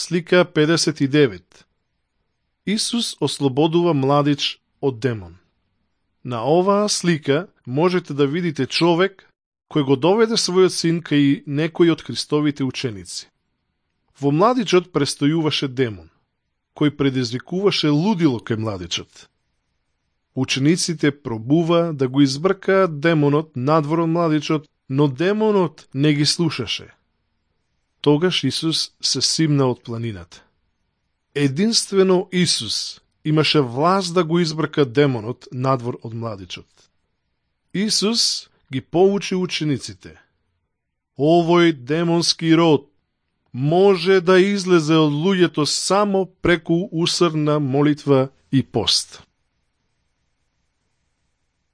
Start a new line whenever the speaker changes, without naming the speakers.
Слика 59. Исус ослободува младич од демон. На оваа слика можете да видите човек кој го доведе својот син кај некој од Христовите ученици. Во младичот престојуваше демон, кој предизвикуваше лудило кај младичот. Учениците пробува да го избркаат демонот надвор од младичот, но демонот не ги слушаше. Тогаш Исус се симна од планината. Единствено Исус имаше власт да го избрка демонот надвор од младичот. Исус ги поучи учениците. Овој демонски род може да излезе од луѓето само преку усрна молитва и пост.